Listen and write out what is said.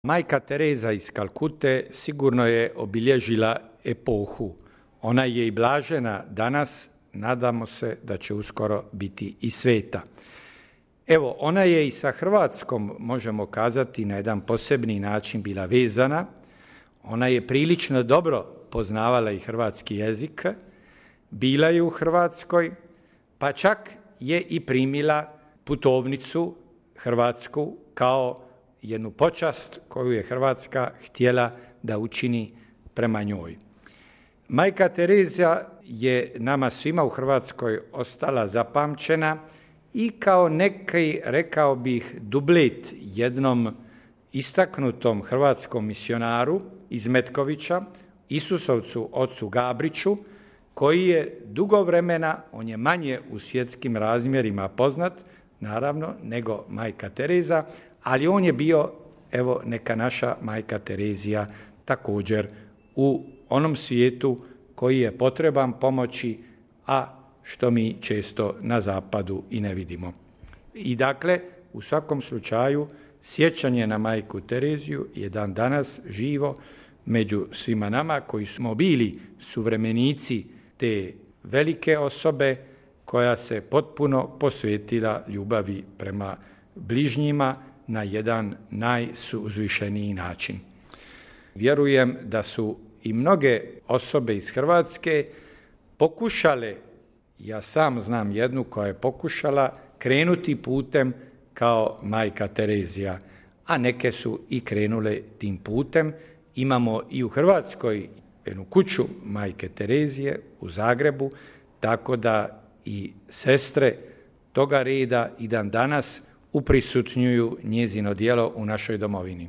Majka Tereza iz Kalkute sigurno je obilježila epohu. Ona je i blažena danas, nadamo se da će uskoro biti i sveta. Evo, ona je i sa Hrvatskom, možemo kazati, na jedan posebni način bila vezana. Ona je prilično dobro poznavala i hrvatski jezik, bila je u Hrvatskoj, pa čak je i primila putovnicu hrvatsku kao jednu počast koju je Hrvatska htjela da učini prema njoj. Majka Tereza je nama svima u Hrvatskoj ostala zapamćena i kao neki, rekao bih, dublet jednom istaknutom hrvatskom misionaru iz Metkovića, Isusovcu ocu Gabriću, koji je dugo vremena, on je manje u svjetskim razmjerima poznat, naravno, nego majka Tereza, ali on je bio, evo, neka naša majka Terezija također u onom svijetu koji je potreban pomoći, a što mi često na zapadu i ne vidimo. I dakle, u svakom slučaju, sjećanje na majku Tereziju je dan danas živo među svima nama koji smo bili suvremenici te velike osobe koja se potpuno posvetila ljubavi prema bližnjima na jedan najuzvišeniji način. Vjerujem da su i mnoge osobe iz Hrvatske pokušale, ja sam znam jednu koja je pokušala krenuti putem kao majka Terezija, a neke su i krenule tim putem. Imamo i u Hrvatskoj jednu kuću majke Terezije u Zagrebu, tako da i sestre toga reda i dan danas uprisutnjuju njezino djelo u našoj domovini.